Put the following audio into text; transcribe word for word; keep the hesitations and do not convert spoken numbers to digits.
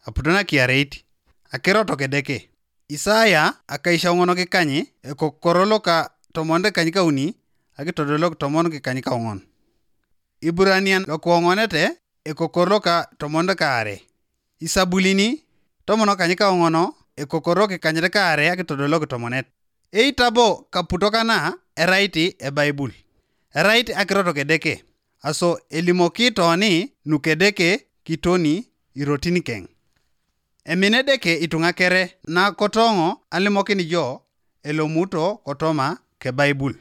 aputo nakiareit. Akiro toko Edeke. Isaya akaishaoŋon kikanyi, ekokoro loka tomon dekany kauni, akitodolok tomon kikany kaoŋon. Iburanian lokuoŋonete, ekokoro loka tomon dekaare. Isabulini tomon kany kaoŋono, ekokoro kikanyet kaare akitodolok tomonet. Eitabo kaputo kana erait ebaibul. Erait akiro toko Edeke. Aso elimoki toni nukedeke kitoni irotin keŋ. Emine Edeke ituŋa kere nakotoŋo alimokin jo elomuto kotoma kebaibul.